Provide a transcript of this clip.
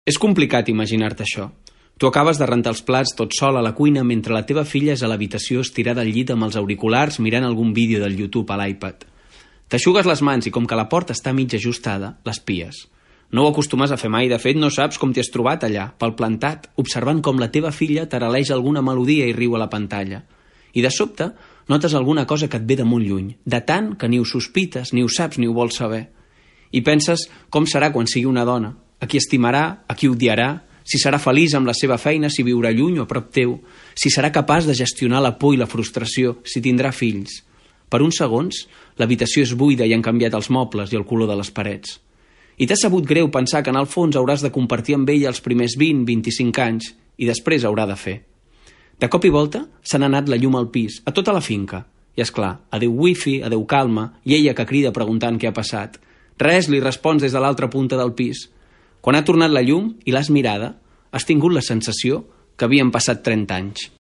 És complicat imaginar-te això. Tu acabes de rentar els plats tot sol a la cuina mentre la teva filla és a l'habitació estirada al llit amb els auriculars mirant algun vídeo del YouTube a l'iPad. T'aixugues les mans i com que la porta està mig ajustada, l'espies. No ho acostumes a fer mai, de fet no saps com t'hi has trobat allà, pel plantat, observant com la teva filla taraleja alguna melodia i riu a la pantalla. I de sobte notes alguna cosa que et ve de molt lluny, de tant que ni ho sospites, ni ho saps, ni ho vols saber. I penses com serà quan sigui una dona, a qui estimarà, a qui odiarà, si serà feliç amb la seva feina, si viurà lluny o a prop teu, si serà capaç de gestionar la por i la frustració, si tindrà fills. Per uns segons, l'habitació és buida i han canviat els mobles i el color de les parets. I t'ha sabut greu pensar que en el fons hauràs de compartir amb ella els primers 20-25 anys i després haurà de fer. De cop i volta s'ha anat la llum al pis, a tota la finca. I és clar, adeu wifi, adeu calma, i ella que crida preguntant què ha passat. Res, li respons des de l'altra punta del pis. Quan ha tornat la llum i l'has mirada, has tingut la sensació que havien passat 30 anys.